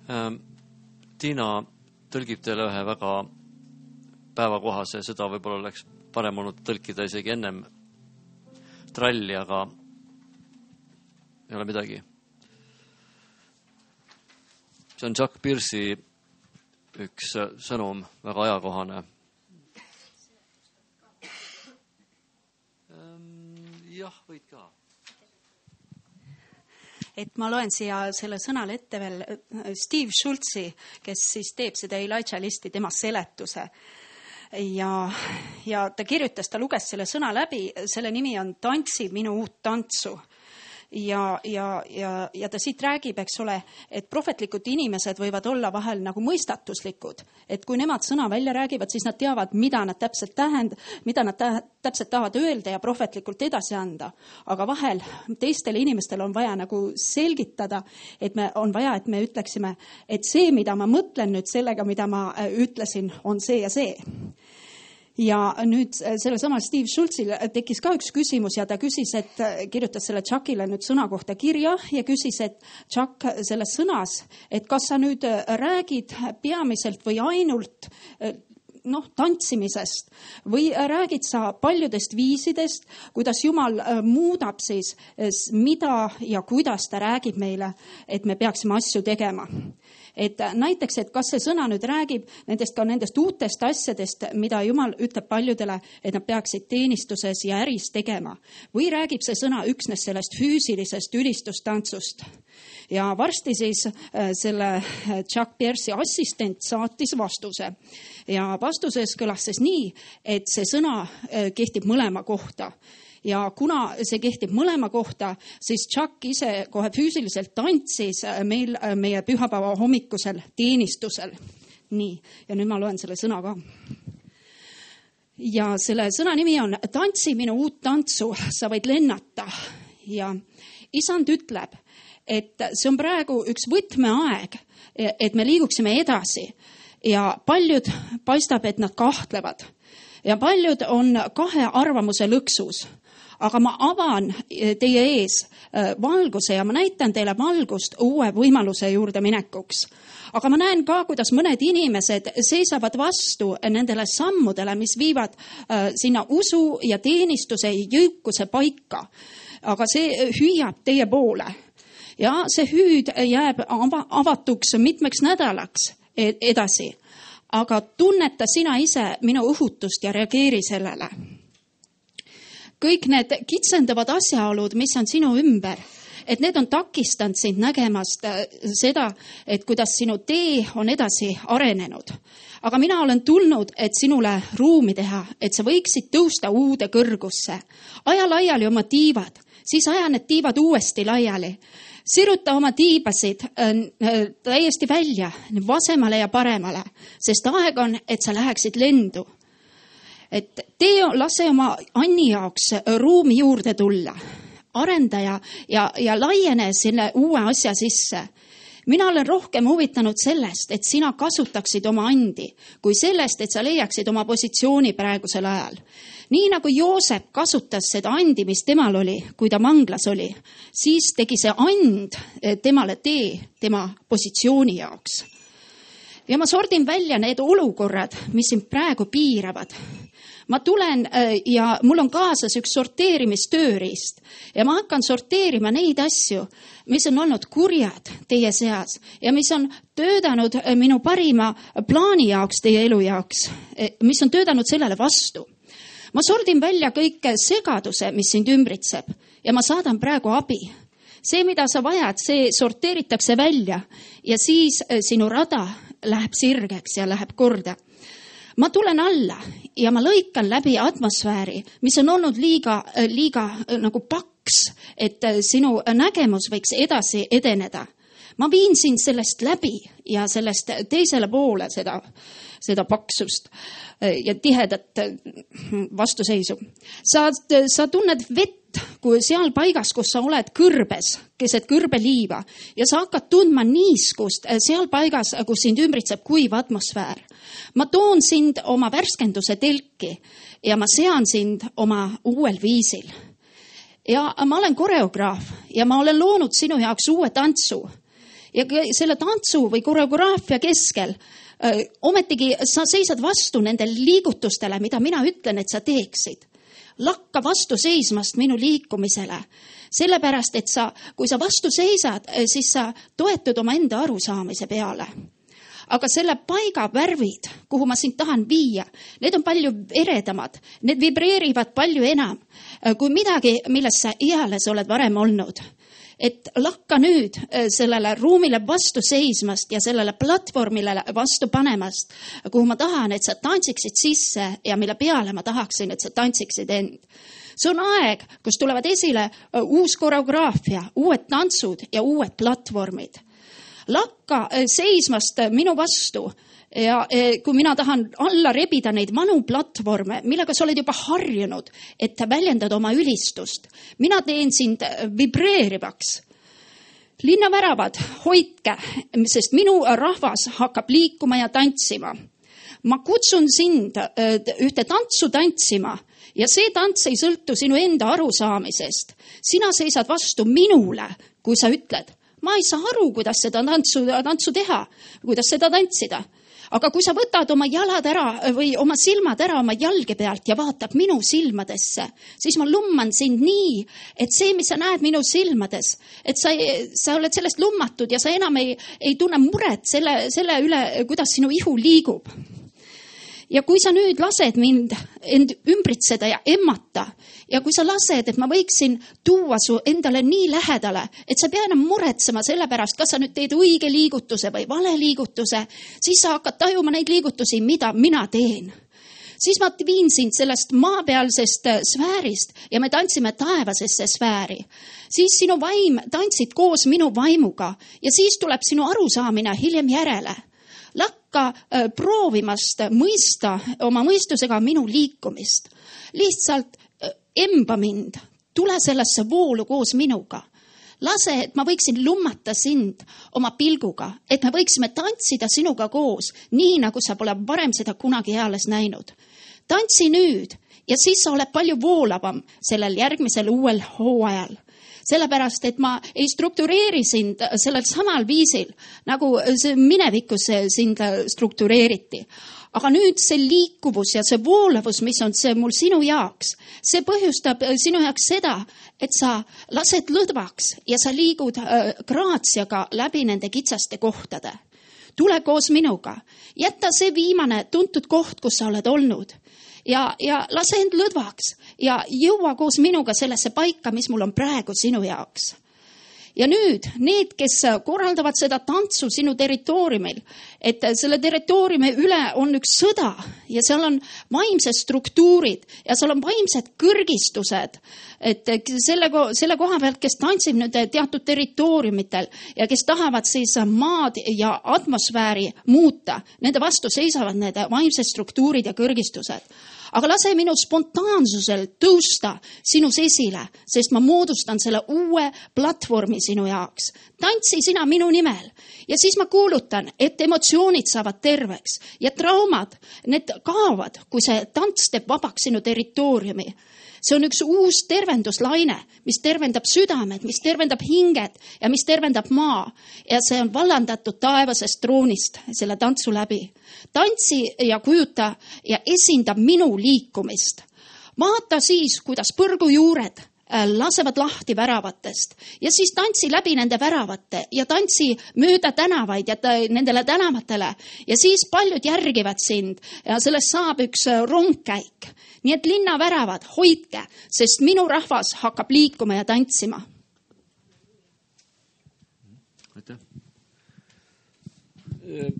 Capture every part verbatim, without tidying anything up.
Tiina tõlgib teile ühe väga päevakohase, seda võib-olla oleks parem olnud tõlkida isegi ennem tralli, aga ei ole midagi. See on Chuck Pierce'i üks sõnum, väga ajakohane. Jah, võid ka. Et ma loen siia selle sõnale ette veel Steve Schultzi, kes siis teeb seda Elijah listi, tema seletuse. Ja, ja ta kirjutas, ta luges selle sõna läbi, selle nimi on Tantsi minu uut tantsu. Ja, ja, ja, ja ta siit räägib, eks ole, et prohvetlikud inimesed võivad olla vahel nagu mõistatuslikud. Et kui nemad sõna välja räägivad, siis nad teavad, mida nad täpselt tähend, mida nad täpselt tahavad öelda ja prohvetlikult edasi anda. Aga vahel teistele inimestel on vaja nagu selgitada, et me on vaja, et me ütleksime, et see, mida ma mõtlen nüüd sellega, mida ma ütlesin, on see ja see. Ja nüüd selle sama Steve Schultzil tekkis ka üks küsimus ja ta küsis, et kirjutas selle Chuckile nüüd sõna kohta kirja ja küsis, et Chuck selles sõnas, et kas sa nüüd räägid peamiselt või ainult noh, tantsimisest või räägid sa paljudest viisidest, kuidas Jumal muudab siis, mida ja kuidas ta räägib meile, et me peaksime asju tegema. Et näiteks, et kas see sõna nüüd räägib nendest ka nendest uutest asjadest, mida Jumal ütleb paljudele, et nad peaksid teenistuses ja äris tegema. Või räägib see sõna üksnes sellest füüsilisest ülistustantsust. Ja varsti siis selle Chuck Pierce'i assistent saatis vastuse. Ja vastuses kõlas siis nii, et see sõna kehtib mõlema kohta. Ja kuna see kehtib mõlema kohta, siis Chuck ise kohe füüsiliselt tantsis meil meie pühapäeva hommikusel teenistusel. Nii, ja nüüd ma loen selle sõna ka. Ja selle sõna nimi on Tantsi minu uut tantsu, sa võid lennata. Ja isand ütleb, et see on praegu üks võtmeaeg, et me liiguksime edasi. Ja paljud paistab, et nad kahtlevad. Ja paljud on kahe arvamuse lõksus. Aga ma avan teie ees valguse ja ma näitan teile valgust uue võimaluse juurde minekuks. Aga ma näen ka, kuidas mõned inimesed seisavad vastu nendele sammudele, mis viivad sinna usu ja teenistuse jõukuse paika. Aga see hüüab teie poole. Ja see hüüd jääb avatuks mitmeks nädalaks edasi. Aga tunneta sina ise minu õhutust ja reageeri sellele. Kõik need kitsendavad asjaolud, mis on sinu ümber, et need on takistanud sind nägemast seda, et kuidas sinu tee on edasi arenenud. Aga mina olen tulnud, et sinule ruumi teha, et sa võiksid tõusta uude kõrgusse. Aja laiali oma tiivad, siis aja need tiivad uuesti laiali. Siruta oma tiibasid täiesti välja, vasemale ja paremale, sest aeg on, et sa läheksid lendu. Et tee lase oma Anni jaoks ruumi juurde tulla, arendaja ja, ja laiene selle uue asja sisse. Mina olen rohkem huvitanud sellest, et sina kasutaksid oma andi, kui sellest, et sa leiaksid oma positsiooni praegusel ajal. Nii nagu Joosep kasutas seda andi, mis temal oli, kui ta manglas oli, siis tegi see and temale tee tema positsiooni jaoks. Ja ma sordin välja need olukorrad, mis sind praegu piiravad. Ma tulen ja mul on kaasas üks sorteerimistööriist ja ma hakkan sorteerima neid asju, mis on olnud kurjad teie seas ja mis on töötanud minu parima plaani jaoks, teie elu jaoks, mis on töötanud sellele vastu. Ma sordin välja kõik segaduse, mis sind ümbritseb ja ma saadan praegu abi. See, mida sa vajad, see sorteeritakse välja ja siis sinu rada läheb sirgeks ja läheb korda. Ma tulen alla ja ma lõikan läbi atmosfääri, mis on olnud liiga, liiga nagu paks, et sinu nägemus võiks edasi edeneda. Ma viin sind sellest läbi ja sellest teisele poole seda, seda paksust ja tihedat vastuseisu. Sa, sa tunned vett kui seal paigas, kus sa oled kõrbes, keset kõrbeliiva ja sa hakkad tundma niiskust seal paigas, kus sind ümbritseb kuiv atmosfäär. Ma toon sind oma värskenduse telki ja ma sean sind oma uuel viisil. Ja ma olen koreograaf ja ma olen loonud sinu jaoks uue tantsu. ja selle tantsu või koreograafia keskel öö, ometigi sa seisad vastu nendele liigutustele, mida mina ütlen, et sa teeksid. Lakka vastu seismast minu liikumisele. Sellepärast, et sa, kui sa vastu seisad, siis sa toetud oma enda arusaamise peale. Aga selle paiga värvid, kuhu ma sind tahan viia, need on palju eredamad. Need vibreerivad palju enam kui midagi, milles sa eales oled varem olnud. Et lakka nüüd sellele ruumile vastu seismast ja sellele platvormile vastu panemast, kuhu ma tahan, et sa tantsiksid sisse ja mille peale ma tahaksin, et sa tantsiksid end. See on aeg, kus tulevad esile uus koreograafia, uued tantsud ja uued platvormid. Lakka seismast minu vastu ja kui mina tahan alla rebida neid vanu platvorme, millega sa oled juba harjunud, et väljendad oma ülistust. Mina teen sind vibreerivaks. Linnaväravad, hoidke, sest minu rahvas hakkab liikuma ja tantsima. Ma kutsun sind ühte tantsu tantsima ja see tants ei sõltu sinu enda arusaamisest. Sina seisad vastu minule, kui sa ütled, ma ei saa aru, kuidas seda tantsu, tantsu teha, kuidas seda tantsida. Aga kui sa võtad oma jalad ära või oma silmad ära oma jalge pealt ja vaatab minu silmadesse, siis ma lumman sind nii, et see, mis sa näed minu silmades, et sa, sa oled sellest lummatud ja sa enam ei, ei tunne muret selle, selle üle, kuidas sinu ihu liigub. Ja kui sa nüüd lased mind end ümbritseda ja emmata ja kui sa lased, et ma võiksin tuua su endale nii lähedale, et sa pea enam muretsema selle pärast, kas sa nüüd teed õige liigutuse või vale liigutuse, siis sa hakkad tajuma neid liigutusi, mida mina teen. Siis ma viin sind sellest maapealsest sfäärist ja me tantsime taevasesse sfääri. Siis sinu vaim tantsid koos minu vaimuga ja siis tuleb sinu arusaamine hiljem järele. Lakka proovimast mõista oma mõistusega minu liikumist. Lihtsalt emba mind, tule sellesse voolu koos minuga. Lase, et ma võiksin lummata sind oma pilguga, et me võiksime tantsida sinuga koos, nii nagu sa pole varem seda kunagi eales näinud. Tantsi nüüd ja siis sa oled palju voolavam sellel järgmisel uuel hooajal. Sellepärast, et ma ei struktureeri sind sellel samal viisil, nagu minevikus sind struktureeriti. Aga nüüd see liikuvus ja see voolavus, mis on see mul sinu jaoks, see põhjustab sinu jaoks seda, et sa lased lõdvaks ja sa liigud graatsiaga läbi nende kitsaste kohtade. Tule koos minuga. Jätta see viimane tuntud koht, kus sa oled olnud. Ja, ja lase end lõdvaks ja jõua koos minuga sellesse paika, mis mul on praegu sinu jaoks. Ja nüüd need, kes korraldavad seda tantsu sinu territooriumil, et selle territooriumi üle on üks sõda ja seal on vaimsed struktuurid ja seal on vaimsed kõrgistused, et selle, selle koha pealt, kes tantsib nüüd teatud territooriumitel ja kes tahavad siis maad ja atmosfääri muuta, nende vastu seisavad need vaimsed struktuurid ja kõrgistused. Aga lase minu spontaansusel tõusta sinus esile, sest ma moodustan selle uue platvormi sinu jaoks. Tantsi sina minu nimel ja siis ma kuulutan, et emotsioonid saavad terveks ja traumad, need kaovad, kui see tants teeb vabaks sinu territooriumi. See on üks uus tervenduslaine, mis tervendab südamed, mis tervendab hinged ja mis tervendab maa. Ja see on vallandatud taevasest troonist selle tantsu läbi. Tantsi ja kujuta ja esindab minu liikumist. Vaata siis, kuidas põrgujuured lasevad lahti väravatest ja siis tantsi läbi nende väravate ja tantsi mööda tänavaid ja nendele tänavatele ja siis paljud järgivad sind ja sellest saab üks rongkäik. Nii et linna väravad, hoidke, sest minu rahvas hakkab liikuma ja tantsima. Aitäh.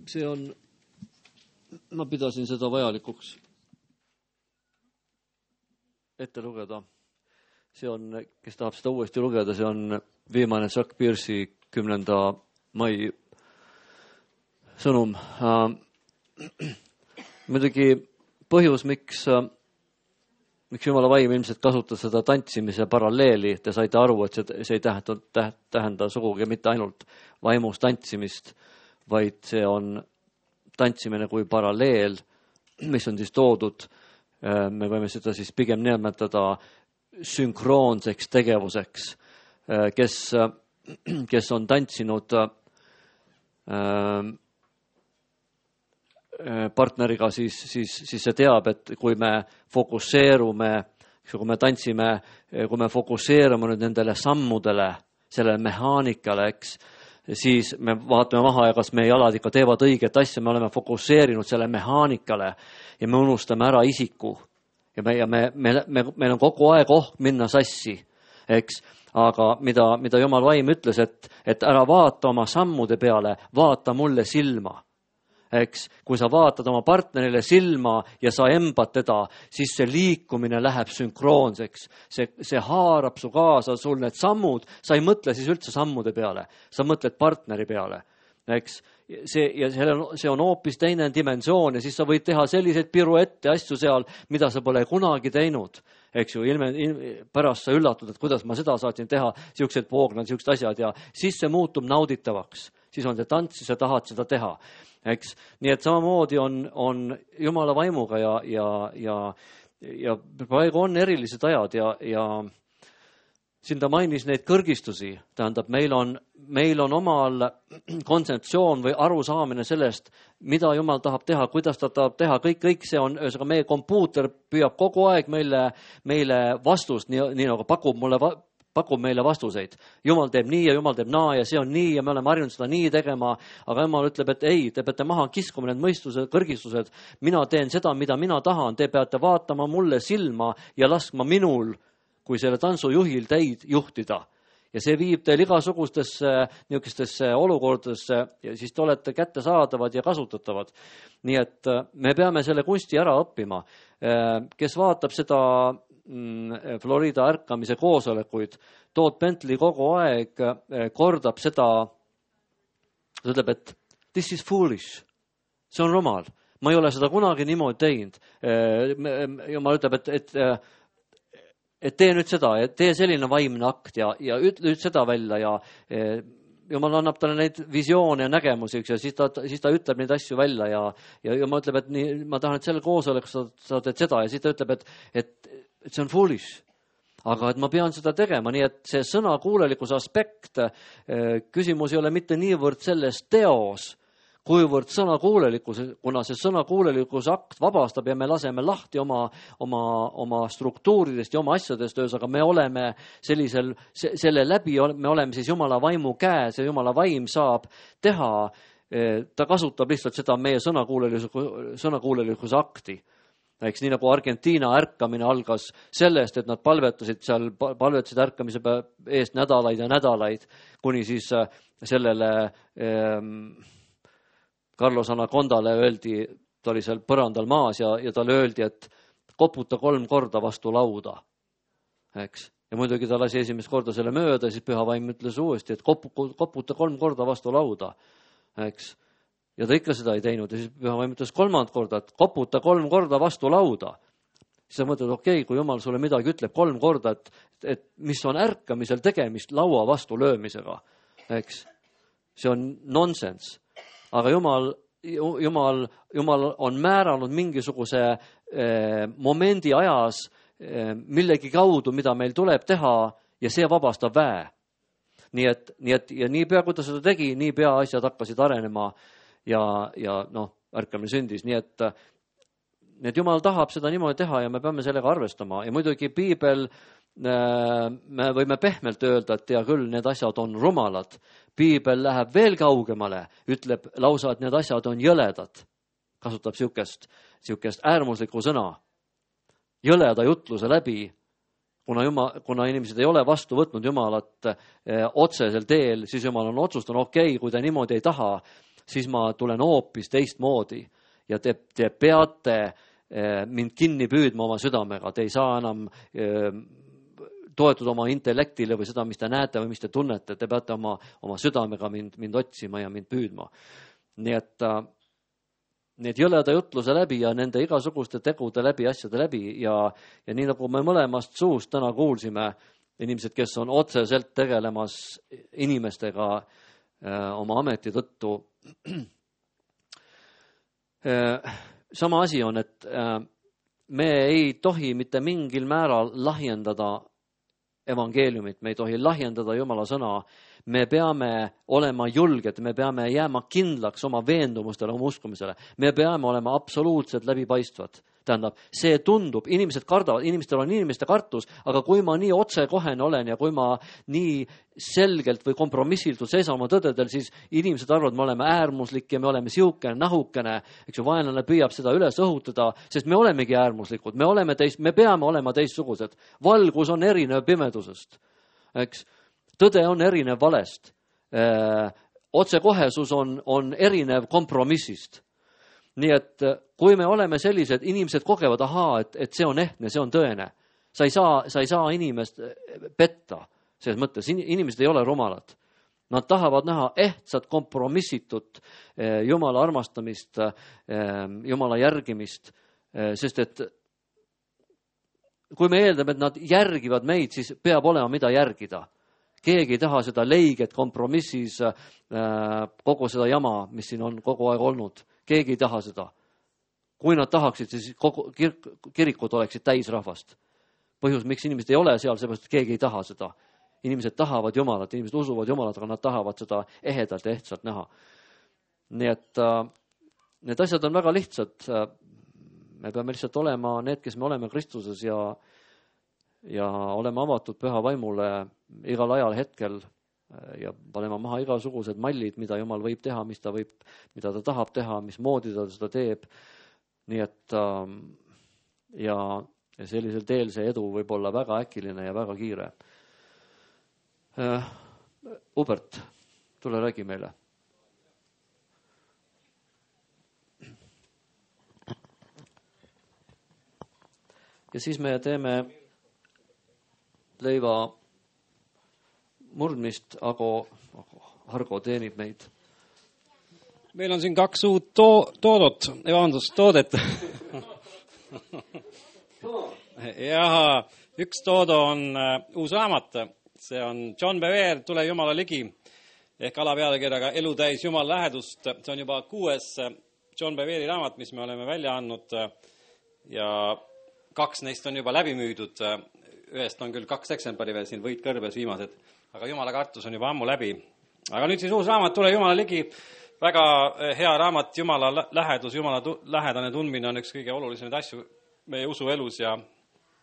See on, ma pidasin seda vajalikuks ette lugeda. See on, kes tahab seda uuesti lugeda, see on viimane Chuck Pierce'i kümnenda mai sõnum. Muidugi põhjus, miks, miks Jumala vaim ilmselt kasutas seda tantsimise paralleeli, te saite aru, et see, see ei tähenda, tähenda sugugi mitte ainult vaimus tantsimist, vaid see on tantsimine kui paralleel, mis on siis toodud, me võime seda siis pigem nimetada sünkroonseks tegevuseks, kes, kes on tantsinud partneriga, siis, siis, siis see teab, et kui me fokusseerume, kui me tantsime, kui me fokusseerume nüüd nendele sammudele, sellele mehaanikale, eks, siis me vaatame maha ja kas meie jalad ikka teevad õiget asja, me oleme fokusseerinud selle mehaanikale ja me unustame ära isiku. Ja, me, ja me, me, me, meil on kogu aeg oht minna sassi, eks, aga mida, mida Jumal vaim ütles, et, et ära vaata oma sammude peale, vaata mulle silma. Eks, kui sa vaatad oma partnerile silma ja sa embad teda, siis see liikumine läheb sünkroonseks. See, see haarab su kaasa, sul need sammud, sa ei mõtle siis üldse sammude peale, sa mõtled partneri peale. Eks, see, ja see on, see on hoopis teine dimensioon ja siis sa võid teha selliseid piruette asju seal, mida sa pole kunagi teinud. Eks ju, ilme, ilme, pärast sa üllatud, et kuidas ma seda saatsin teha, siuksed poognad, siuksed asjad ja siis see muutub nauditavaks. Siis on see tants, siis sa tahad seda teha. Eks, nii et samamoodi on, on Jumala vaimuga ja, ja, ja, ja praegu on erilised ajad ja, ja siin ta mainis neid kõrgistusi, tähendab, meil on, meil on omal kontseptsioon või arusaamine sellest, mida Jumal tahab teha, kuidas ta tahab teha, kõik, kõik see on, ühesõnaga meie kompuuter püüab kogu aeg meile, meile vastust, nii, nii nagu pakub mulle va- pakub meile vastuseid. Jumal teeb nii ja Jumal teeb naa ja see on nii ja me oleme harjunud seda nii tegema, aga Jumal ütleb, et ei, te peate maha kiskuma need mõistused, kõrgistused, mina teen seda, mida mina tahan, te peate vaatama mulle silma ja laskma minul, kui selle tantsujuhil teid juhtida. Ja see viib teil igasugustesse niisugustesse olukordadesse ja siis te olete kättesaadavad ja kasutatavad. Nii et me peame selle kunsti ära õppima. Kes vaatab seda Florida ärkamise koosolekuid, Todd Bentley kogu aeg kordab seda, ta ütleb, et this is foolish, see on rumal, ma ei ole seda kunagi niimoodi teinud. Jumal ütleb, et, et, et tee nüüd seda, tee selline vaimne akt ja, ja ütle nüüd seda välja ja Jumal annab talle neid visioone ja nägemusi ja siis ta, siis ta ütleb neid asju välja ja, ja Jumal ütleb, et nii, ma tahan, et selle koosoleku sa, sa teed seda ja siis ta ütleb, et, et et see on foolish, aga et ma pean seda tegema, nii et see sõnakuulelikkuse aspekt, küsimus ei ole mitte niivõrd selles teos, kuivõrd sõnakuulelikkuse, kuna see sõnakuulelikkuse akt vabastab ja me laseme lahti oma, oma, oma struktuuridest ja oma asjadest, aga me oleme sellisel, selle läbi me oleme siis Jumala vaimu käes ja Jumala vaim saab teha, ta kasutab lihtsalt seda meie sõnakuulelikkuse, sõnakuulelikkuse akti. Eks nii nagu Argentiina ärkamine algas sellest, et nad palvetasid seal, palvetasid ärkamise eest nädalaid ja nädalaid, kuni siis sellele eh, Carlos Anacondale öeldi, ta oli seal põrandal maas ja, ja talle öeldi, et koputa kolm korda vastu lauda. Eks? Ja muidugi ta lasi esimest korda selle mööda, siis Püha Vaim ütles uuesti, et kopu, koputa kolm korda vastu lauda. Eks? Ja ta ikka seda ei teinud ja siis Püha Vaim ütles kolmand korda, et koputa kolm korda vastu lauda. Siis sa mõtled, okei, okay, kui Jumal sulle midagi ütleb kolm korda, et, et mis on ärkamisel tegemist laua vastu löömisega. Eks? See on nonsense. Aga Jumal, Jumal, Jumal on määranud mingisuguse eh, momendi ajas eh, millegi kaudu, mida meil tuleb teha ja see vabastab väe. Nii et, nii et ja nii pea, kui ta seda tegi, nii pea asjad hakkasid arenema ja, ja noh, ärkamine sündis. Nii et, nii et Jumal tahab seda niimoodi teha ja me peame sellega arvestama. Ja muidugi piibel, me võime pehmelt öelda, et ja küll, need asjad on rumalad. Piibel läheb veel kaugemale, ütleb lausa, et need asjad on jõledad. Kasutab siukest, siukest äärmuslikku sõna. Jõleda jutluse läbi, kuna, Jumal, kuna inimesed ei ole vastu võtnud Jumalat eh, otsesel teel, siis Jumal on otsustanud, okei, okay, kui te niimoodi ei taha, siis ma tulen hoopis teistmoodi ja te, te peate eh, mind kinni püüdma oma südamega. Te ei saa enam eh, toetuda oma intellektile või seda, mis te näete või mis te tunnete. Te peate oma, oma südamega mind, mind otsima ja mind püüdma. Nii et äh, need jõleda jutluse läbi ja nende igasuguste tegude läbi, asjade läbi ja, ja nii nagu me mõlemast suust täna kuulsime, inimesed, kes on otseselt tegelemas inimestega äh, oma ameti tõttu, sama asi on, et me ei tohi mitte mingil määral lahjendada evangeeliumit, me ei tohi lahjendada Jumala sõna. Me peame olema julged, me peame jääma kindlaks oma veendumustele, oma uskumisele. Me peame olema absoluutselt läbipaistvad. Tähendab, see tundub, inimesed kardavad, inimestel on inimeste kartus, aga kui ma nii otsekohene olen ja kui ma nii selgelt või kompromissildult seisan oma tõdedel, siis inimesed arvavad, me oleme äärmuslik ja me oleme siukene, nahukene, eks ju, vaenlane püüab seda üles õhutada, sest me olemegi äärmuslikud, me oleme teist, me peame olema teistsugused. Valgus on erinev pimedusest, eks. Tõde on erinev valest. Öö, otsekohesus on, on erinev kompromissist. Nii et kui me oleme sellised, inimesed kogevad, ahaa, et, et see on ehtne, see on tõene. Sa ei saa, sa ei saa inimest petta. Selles mõttes inimesed ei ole rumalad. Nad tahavad näha ehtsat kompromissitut Jumala armastamist, Jumala järgimist, sest et kui me eeldame, et nad järgivad meid, siis peab olema mida järgida. Keegi ei taha seda leiget kompromissis kogu seda jama, mis siin on kogu aeg olnud. Keegi ei taha seda. Kui nad tahaksid, siis kogu kir- kirikud oleksid täis rahvast. Põhjus, miks inimesed ei ole seal, seepärast, et keegi ei taha seda. Inimesed tahavad Jumalat, inimesed usuvad Jumalat, aga nad tahavad seda ehedalt ja ehtsalt näha. Nii et äh, need asjad on väga lihtsad. Me peame lihtsalt olema need, kes me oleme Kristuses ja, ja olema avatud püha vaimule igal ajal hetkel ja panema maha igasugused mallid, mida Jumal võib teha, mis ta võib, mida ta tahab teha, mis moodi ta seda teeb. Nii et äh, ja, ja sellisel teel see edu võib olla väga äkiline ja väga kiire. Äh, Hubert, tule räägi meile. Ja siis me teeme leiva murdmist, aga Hargo teenib meid. Meil on siin kaks uut to- toodot, vabandust, toodet. ja üks toodo on uh, uus raamat. See on John Bevere, Tule Jumala ligi, ehk alapealkirjaga Elu täis Jumal lähedust. See on juba kuues John Bevere'i raamat, mis me oleme välja andnud ja kaks neist on juba läbi müüdud. Ühest on küll kaks eksemplari veel siin võit kõrbes viimased, aga Jumala kartus on juba ammu läbi. Aga nüüd siis uus raamat Tule Jumala ligi. Väga hea raamat, Jumala lähedus, Jumala tu- lähedane tundmine on üks kõige olulisemaid asju meie usuelus ja,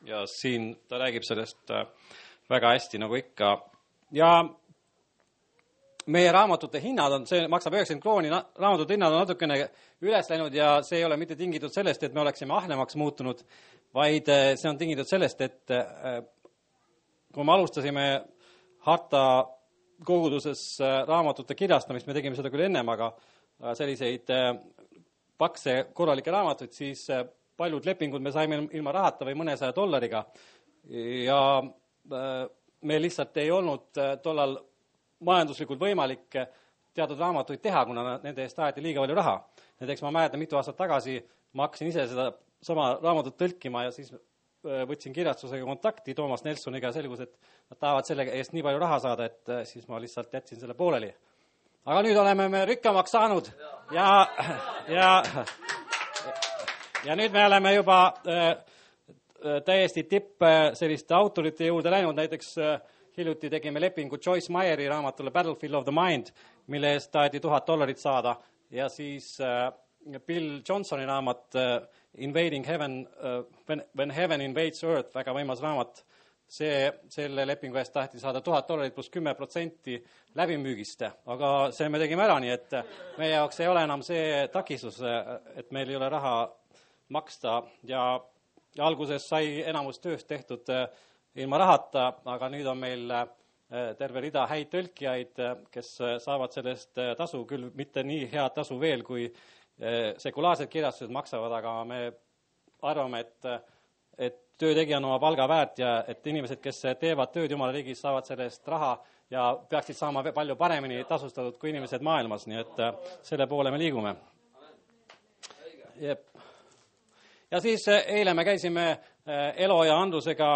ja siin ta räägib sellest väga hästi nagu ikka. Ja meie raamatute hinnad on, see maksab üheksakümmend krooni, raamatute hinnad on natukene üles läinud ja see ei ole mitte tingitud sellest, et me oleksime ahnemaks muutunud, vaid see on tingitud sellest, et kui me alustasime harta koguduses raamatute kirjastamist, me tegime seda küll ennem, aga selliseid pakse korralikke raamatuid, siis paljud lepingud me saime ilma rahata või mõnesaja dollariga ja meil lihtsalt ei olnud tollal majanduslikult võimalik teatud raamatuid teha, kuna nende eest taheti liiga palju raha. Näiteks ma mäletan mitu aastat tagasi, ma hakkasin ise seda sama raamatut tõlkima ja siis võtsin kirjastusega kontakti Toomas Nelsoniga ja selgus, et nad tahavad selle eest nii palju raha saada, et siis ma lihtsalt jätsin selle pooleli. Aga nüüd oleme me rikkamaks saanud ja, ja, ja nüüd me oleme juba täiesti tipp selliste autorite juurde läinud. Näiteks hiljuti tegime lepingu Joyce Meyeri raamatule Battlefield of the Mind, mille eest taheti tuhat dollarit saada ja siis Bill Johnsoni raamat Invading Heaven, when, when Heaven Invades Earth, väga võimas raamat. See, selle lepingu eest tahti saada tuhat dollarit pluss kümme protsenti läbimüügist, aga see me tegime ära, nii et meie jaoks ei ole enam see takistus, et meil ei ole raha maksta ja, ja alguses sai enamus tööst tehtud ilma rahata, aga nüüd on meil terve rida häid tõlkijaid, kes saavad sellest tasu, küll mitte nii head tasu veel, kui sekulaarsed kirjastused maksavad, aga me arvame, et, et töötegija on oma palga väärt ja et inimesed, kes teevad tööd Jumala riigis, saavad sellest raha ja peaksid saama palju paremini tasustatud kui inimesed maailmas, nii et selle poole me liigume. Jep. Ja siis eile me käisime Elo ja Andrusega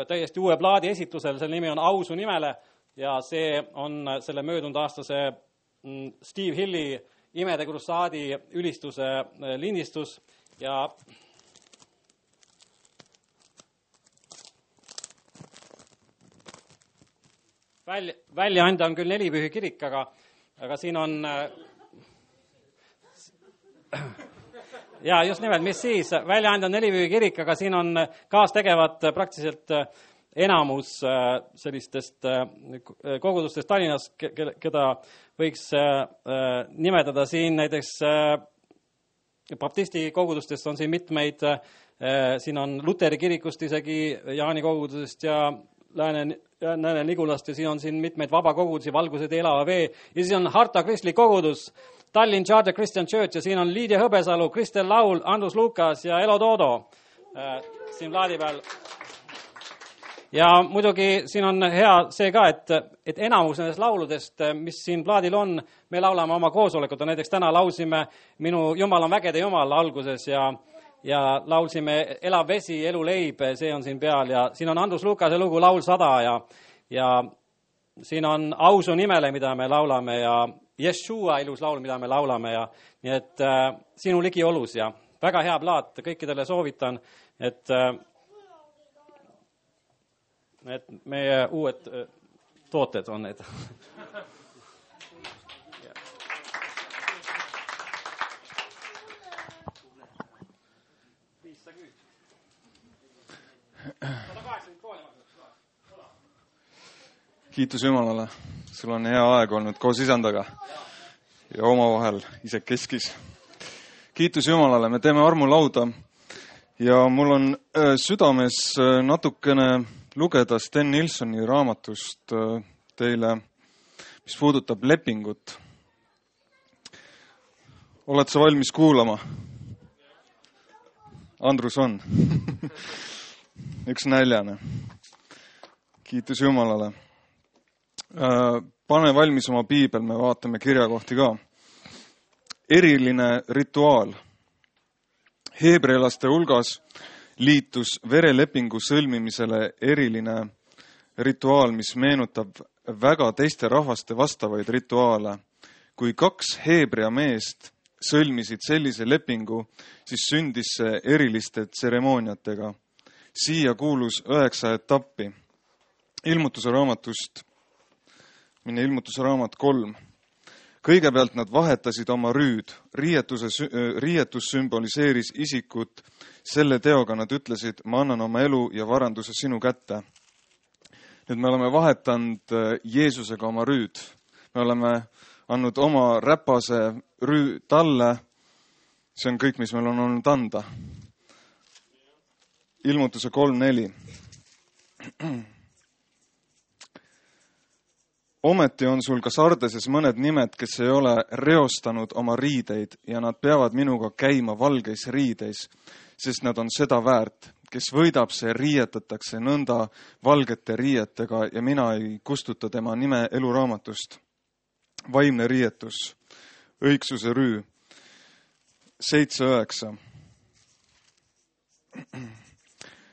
täiesti uue plaadi esitusel, selle nimi on Au su nimele ja see on selle möödunud aastase Steve Hilli Imede krussaadi ülistuse lindistus ja välja, väljaande on küll Nelipühi kirik, aga, aga siin on ja just nimelt, mis siis, väljaande on Nelipühi kirik, aga siin on kaastegevad praktiliselt enamus sellistest kogudustest Tallinnas, keda võiks nimetada siin näiteks baptisti kogudustest on siin mitmeid, siin on Luteri kirikust isegi, Jaani kogudusest ja Lääne, Lääne Nigulast ja siin on siin mitmeid vabakogudusi, Valgused, Elava Vee ja siis on Harta kristlik kogudus, Tallinn Charter Christian Church ja siin on Liidia Hõbesalu, Kristel Laul, Andrus Lukas ja Elo Toodo siin plaadi peal. Ja muidugi siin on hea see ka, et, et enamus nendest lauludest, mis siin plaadil on, me laulame oma koosolekut. Näiteks täna laulsime Minu Jumal on vägede Jumal alguses ja, ja laulsime Elav vesi, elu leib, see on siin peal ja siin on Andrus Lukase lugu Laul sada ja, ja siin on Ausu nimele, mida me laulame ja Yeshua ilus laul, mida me laulame ja nii et äh, sinu ligi olus ja väga hea plaat, kõikidele soovitan, et äh, et meie uued tooted on need. Kiitus Jumalale, sul on hea aeg olnud koos isandaga ja omavahel isekeskis. Kiitus Jumalale, me teeme armulauda ja mul on südames natukene lugeda Sten Nilssoni raamatust teile, mis puudutab lepingut. Oled sa valmis kuulama? Andrus on. Üks näljane. Kiitus Jumalale. Pane valmis oma piibel, me vaatame kirjakohti ka. Eriline rituaal. Heebrealaste hulgas liitus verelepingu sõlmimisele eriline rituaal, mis meenutab väga teiste rahvaste vastavaid rituaale. Kui kaks heebrea meest sõlmisid sellise lepingu, siis sündis see eriliste tseremooniatega. Siia kuulus üheksa etappi. Ilmutuse raamatust, mine ilmutuse raamat kolm. Kõigepealt nad vahetasid oma rüüd. Riietuse, riietus sümboliseeris isikut. Selle teoga nad ütlesid, ma annan oma elu ja varanduse sinu kätte. Nüüd me oleme vahetanud Jeesusega oma rüüd. Me oleme andnud oma räpase rüü talle. See on kõik, mis meil on olnud anda. Ilmutuse kolm neli. Ometi on sul ka Sardeses mõned nimed, kes ei ole reostanud oma riideid ja nad peavad minuga käima valgeis riideis, sest nad on seda väärt. Kes võidab, see riietatakse nõnda valgete riietega ja mina ei kustuta tema nime eluraamatust. Vaimne riietus, õigsuse rüü, seitse üheksa.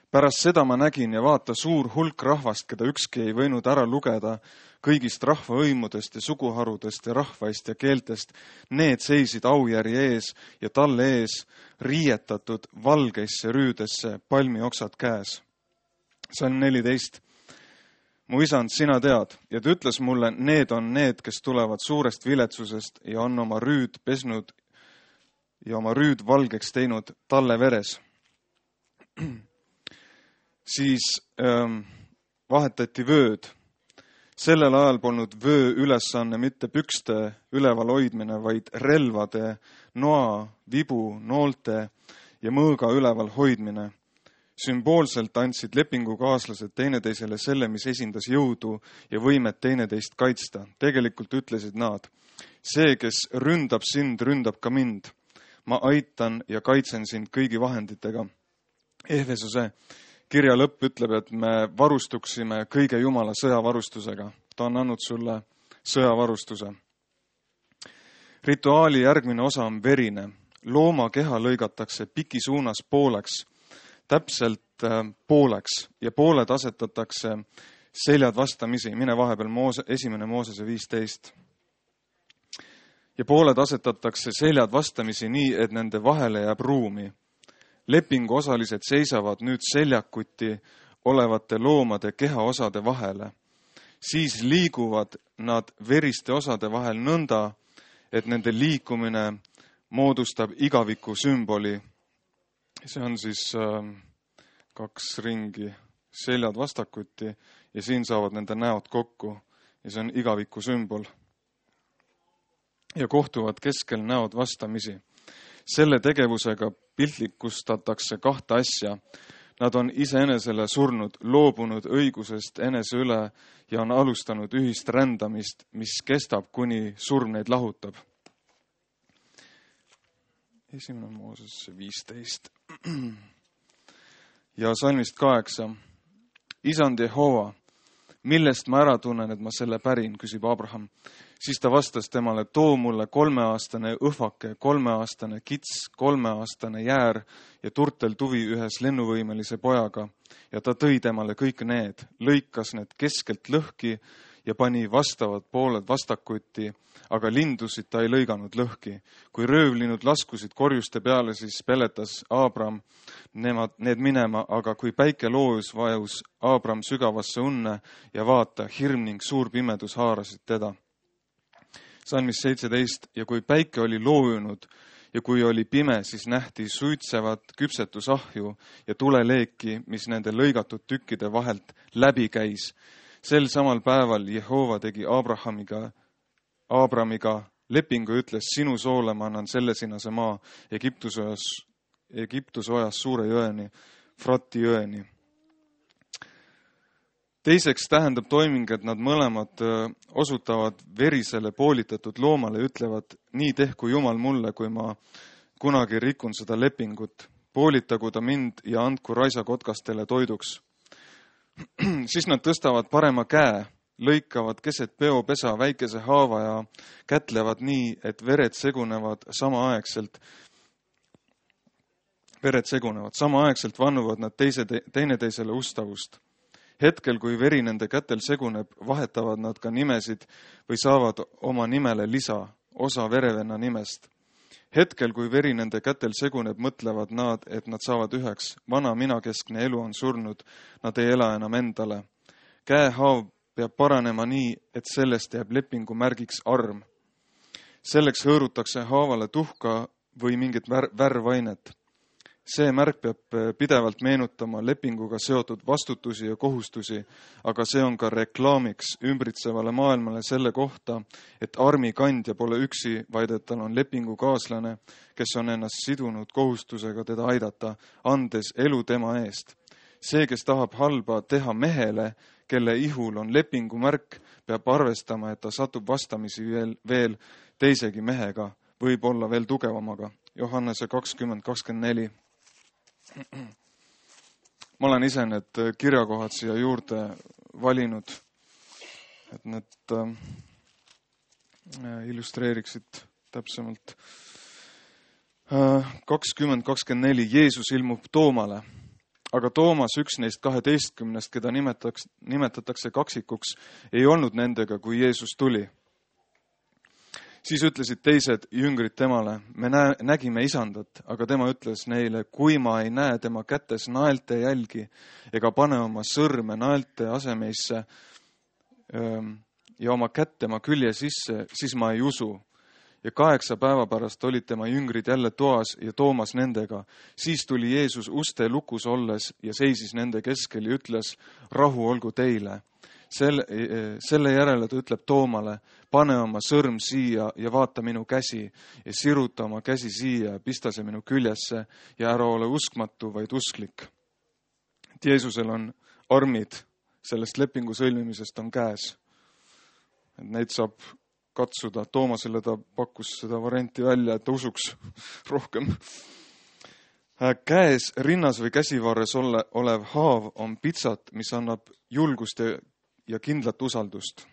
Pärast seda ma nägin ja vaata suur hulk rahvast, keda ükski ei võinud ära lugeda, kõigist rahvaõimudest ja suguharudest ja rahvaist ja keeltest. Need seisid aujärje ees ja talle ees riietatud valgeisse rüüdesse, palmioksad käes. Salm neliteist. Mu isand, sina tead, ja ta ütles mulle, need on need, kes tulevad suurest viletsusest ja on oma rüüd pesnud ja oma rüüd valgeks teinud talle veres. Siis ähm, vahetati vööd. Sellel ajal polnud vöö ülesanne mitte pükste üleval hoidmine, vaid relvade, noa, vibu, noolte ja mõõga üleval hoidmine. Sümboolselt andsid lepingukaaslased teineteisele selle, mis esindas jõudu ja võimet teineteist kaitsta. Tegelikult ütlesid nad, see, kes ründab sind, ründab ka mind. Ma aitan ja kaitsen sind kõigi vahenditega. Ehvesuse kirja lõpp ütleb, et me varustuksime kõige Jumala sõjavarustusega. Ta on andnud sulle sõjavarustuse. Rituaali järgmine osa on verine. Looma keha lõigatakse piki suunas pooleks, täpselt pooleks ja pooled asetatakse seljad vastamisi. Mine vahepeal Moose, esimene Moosese viisteist. Ja pooled asetatakse seljad vastamisi nii, et nende vahele jääb ruumi. Lepingu osalised seisavad nüüd seljakuti olevate loomade kehaosade vahele. siis liiguvad nad veriste osade vahel nõnda, et nende liikumine moodustab igaviku sümboli. See on siis äh, kaks ringi, seljad vastakuti ja siin saavad nende näod kokku ja see on igaviku sümbol. Ja kohtuvad keskel näod vastamisi. Selle tegevusega piltlikustatakse kahte asja. Nad on iseenesele surnud, loobunud õigusest enese üle ja on alustanud ühist rändamist, mis kestab, kuni surm neid lahutab. Esimene Mooses viisteist. Ja salmist kaheksa. Isand Jehova, millest ma ära tunnen, et ma selle pärin, küsib Abraham. Siis ta vastas temale, too mulle kolmeaastane õhvake, kolmeaastane kits, kolmeaastane jäär ja turtel tuvi ühes lennuvõimelise pojaga. Ja ta tõi temale kõik need, lõikas need keskelt lõhki ja pani vastavad pooled vastakuti, aga lindusid ta ei lõiganud lõhki. Kui röövlinud laskusid korjuste peale, siis peletas Abram nemad, need minema, aga kui päike loojus, vajus Abram sügavasse unne ja vaata, hirm ning suur pimedus haarasid teda. Salmis seitseteist, ja kui päike oli loojunud ja kui oli pime, siis nähti suitsevat küpsetusahju ja tuleleeki, mis nende lõigatud tükkide vahelt läbi käis. Sel samal päeval Jehova tegi Abrahamiga, Abramiga lepingu ja ütles, sinu soole ma annan sellesinase maa Egiptusojas, Egiptusojas suure jõeni, Frati jõeni. Teiseks tähendab toiming, et nad mõlemad osutavad verisele poolitatud loomale ja ütlevad, nii tehku Jumal mulle, kui ma kunagi rikun seda lepingut. Poolitagu ta mind ja andku raisakotkastele toiduks. Siis nad tõstavad parema käe, lõikavad keset peopesa väikese haava ja kätlevad nii, et vered segunevad samaaegselt. Vered segunevad. Samaaegselt vannuvad nad teise, teineteisele ustavust. Hetkel, kui veri nende kätel seguneb, vahetavad nad ka nimesid või saavad oma nimele lisa, osa verevenna nimest. Hetkel, kui veri nende kätel seguneb, mõtlevad nad, et nad saavad üheks. Vana minakeskne elu on surnud, nad ei ela enam endale. Käehaav peab paranema nii, et sellest jääb lepingu märgiks arm. Selleks hõõrutakse haavale tuhka või mingit vär- värvainet. See märk peab pidevalt meenutama lepinguga seotud vastutusi ja kohustusi, aga see on ka reklaamiks ümbritsevale maailmale selle kohta, et armi kandja pole üksi, vaid et tal on lepingukaaslane, kes on ennast sidunud kohustusega teda aidata, andes elu tema eest. See, kes tahab halba teha mehele, kelle ihul on lepingumärk, peab arvestama, et ta satub vastamisi veel, veel teisegi mehega, võib olla veel tugevamaga. Johannese kakskümmend kakskümmend neli. Ma olen ise need kirjakohad siia juurde valinud, et need äh, illustreeriksid täpsemalt. kakskümmend kakskümmend neli. Jeesus ilmub Toomale, aga Toomas, üks neist kaheteistkümnest, keda nimetatakse, nimetatakse kaksikuks, ei olnud nendega, kui Jeesus tuli. Siis ütlesid teised jüngrid temale, me näe, nägime isandat, aga tema ütles neile, kui ma ei näe tema kätes naelte jälgi ega pane oma sõrme naelte asemeisse ja oma kätt tema külje sisse, siis ma ei usu. Ja kaheksa päeva pärast olid tema jüngrid jälle toas ja Toomas nendega. Siis tuli Jeesus uste lukus olles ja seisis nende keskel ja ütles, rahu olgu teile. Selle, selle järele ta ütleb Toomale, pane oma sõrm siia ja vaata minu käsi ja siruta oma käsi siia ja pista see minu küljesse ja ära ole uskmatu, vaid usklik. Et Jeesusel on armid sellest lepingu sõlmimisest on käes. Et neid saab katsuda. Toomasele ta pakkus seda varianti välja, et ta usuks rohkem. Käes, rinnas või käsivarres ole, olev haav on pitsat, mis annab julgust ja ja kindlat usaldust.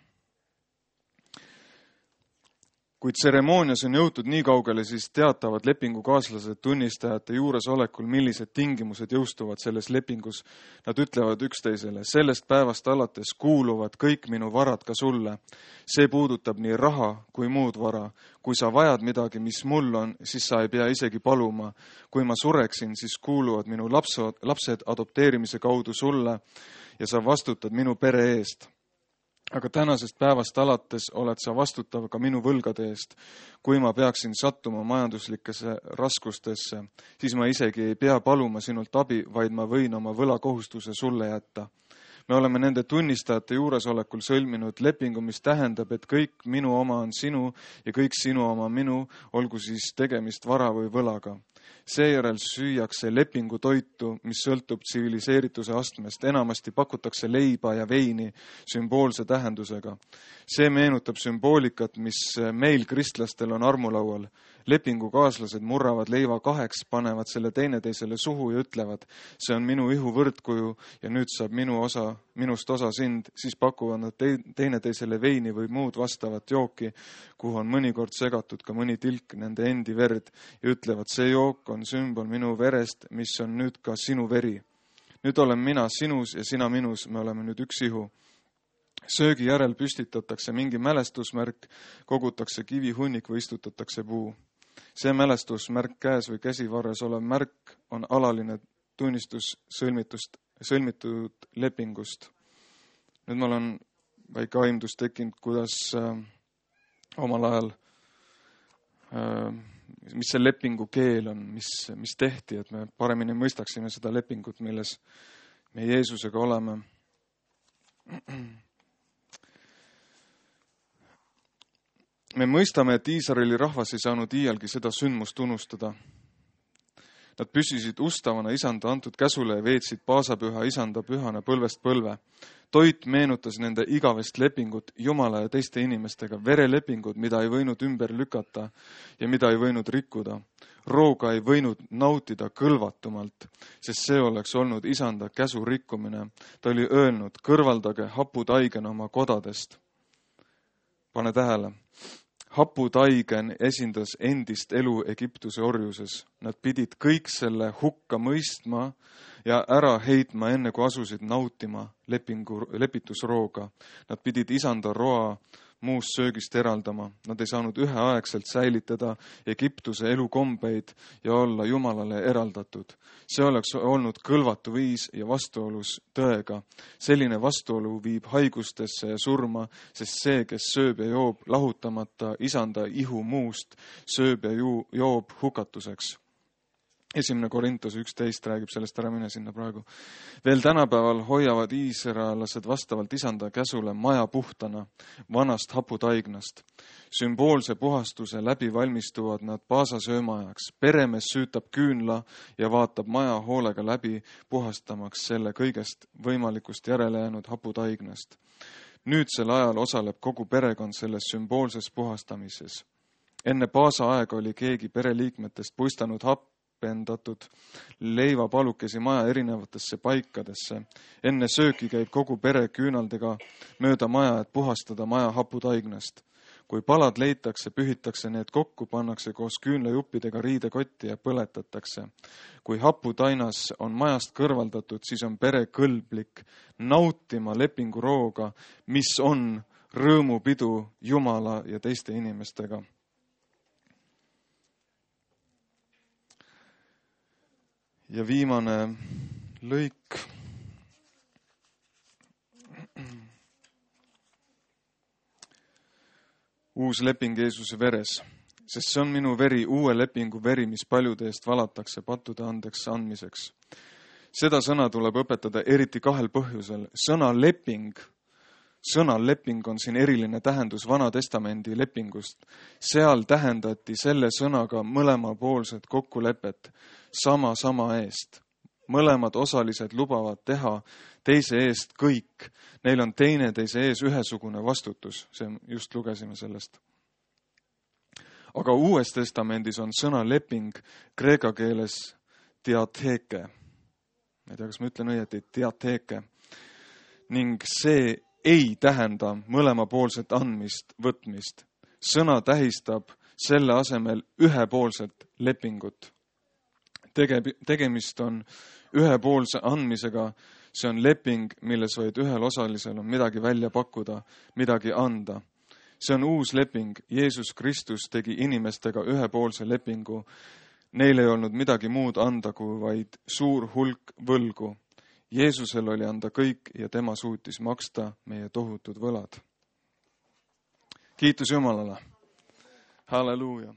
Kui tseremoonias on jõutud nii kaugele, siis teatavad lepingukaaslased tunnistajate juures olekul, millised tingimused jõustuvad selles lepingus. Nad ütlevad üksteisele, sellest päevast alates kuuluvad kõik minu varad ka sulle. See puudutab nii raha kui muud vara. Kui sa vajad midagi, mis mul on, siis sa ei pea isegi paluma. Kui ma sureksin, siis kuuluvad minu lapsed, lapsed adopteerimise kaudu sulle ja sa vastutad minu pere eest. aga tänasest päevast alates oled sa vastutav ka minu võlgade eest. Kui ma peaksin sattuma majanduslikesse raskustesse, siis ma isegi ei pea paluma sinult abi, vaid ma võin oma võlakohustuse sulle jätta. Me oleme nende tunnistajate juuresolekul sõlminud lepingu, mis tähendab, et kõik minu oma on sinu ja kõik sinu oma minu, olgu siis tegemist vara või võlaga. Seejärel süüakse lepingu toitu, mis sõltub tsiviliseerituse astmest. Enamasti pakutakse leiba ja veini sümboolse tähendusega. See meenutab sümboolikat, mis meil kristlastel on armulaual. Lepingu kaaslased murravad leiva kaheks, panevad selle teineteisele suhu ja ütlevad, see on minu ihu võrdkuju ja nüüd saab minu osa, minust osa sind, siis pakuvad nad teineteisele veini või muud vastavat jooki, kuhu on mõnikord segatud ka mõni tilk nende endi verd ja ütlevad, see jook on sümbol minu verest, mis on nüüd ka sinu veri. Nüüd olen mina sinus ja sina minus, me oleme nüüd üks ihu. Söögi järel püstitatakse mingi mälestusmärk, kogutakse kivihunnik või istutatakse puu. See mälestusmärk käes või käsivarres olev märk on alaline tunnistus sõlmitust, sõlmitud lepingust. Nüüd mul on väike aimdus tekkinud, kuidas äh, omal ajal, äh, mis see lepingu keel on, mis, mis tehti, et me paremini mõistaksime seda lepingut, milles me Jeesusega oleme. Me mõistame, et Iisraeli rahvas ei saanud iialgi seda sündmust unustada. Nad püsisid ustavana isanda antud käsule ja veetsid paasapüha isanda pühana põlvest põlve. Toit meenutas nende igavest lepingut Jumala ja teiste inimestega, verelepingut, mida ei võinud ümber lükata ja mida ei võinud rikkuda. Rooga ei võinud nautida kõlvatumalt, sest see oleks olnud isanda käsu rikkumine. Ta oli öelnud, kõrvaldage haputaigen oma kodadest. Pane tähele. Haputaigen esindas endist elu Egiptuse orjuses. Nad pidid kõik selle hukka mõistma ja ära heitma enne, kui asusid nautima lepingu, lepitusrooga. Nad pidid isanda roa muust söögist eraldama. Nad ei saanud üheaegselt säilitada Egiptuse elukombeid ja olla Jumalale eraldatud. See oleks olnud kõlvatu viis ja vastuolus tõega. Selline vastuolu viib haigustesse ja surma, sest see, kes sööb ja joob lahutamata isanda ihu muust, sööb ja ju, joob hukatuseks. Esimene Korintos üksteist räägib sellest, ära mine sinna praegu. Veel tänapäeval hoiavad iisraelased vastavalt isanda käsule maja puhtana vanast haputaignast. Sümboolse puhastuse läbi valmistuvad nad paasasööma ajaks. Peremees süütab küünla ja vaatab maja hoolega läbi, puhastamaks selle kõigest võimalikust järele jäänud haputaignast. Nüüdsel ajal osaleb kogu perekond selles sümboolses puhastamises. Enne paasa aega oli keegi pereliikmetest puistanud happ pendatud leivapalukesi maja erinevatesse paikadesse. Enne sööki käib kogu pere küünaldega mööda maja, et puhastada maja haputaignast. Kui palad leitakse, pühitakse need kokku, pannakse koos küünlajuppidega riidekotti ja põletatakse. Kui haputainas on majast kõrvaldatud, siis on pere kõlblik nautima lepingu rooga, mis on rõõmupidu Jumala ja teiste inimestega. Ja viimane lõik. Uus leping Jeesuse veres, sest see on minu veri, uue lepingu veri, mis paljude eest valatakse pattude andeks andmiseks. Seda sõna tuleb õpetada eriti kahel põhjusel. Sõna leping, sõna leping on siin eriline tähendus Vana Testamendi lepingust. Seal tähendati selle sõnaga mõlemapoolset kokkulepet. Sama sama eest. Mõlemad osalised lubavad teha teise eest kõik. Neil on teine teise ees ühesugune vastutus. See just lugesime sellest. Aga Uues Testamendis on sõna leping kreeka keeles diatheke. Ma ei tea, kas ma ütlen õieti, diatheke. Ning see ei tähenda mõlemapoolset andmist, võtmist. Sõna tähistab selle asemel ühepoolset lepingut. Tegemist on ühepoolse andmisega, see on leping, milles vaid ühel osalisel on midagi välja pakkuda, midagi anda. See on uus leping, Jeesus Kristus tegi inimestega ühepoolse lepingu. Neil ei olnud midagi muud anda kui vaid suur hulk võlgu. Jeesusel oli anda kõik ja tema suutis maksta meie tohutud võlad. Kiitus Jumalale. Halleluuja.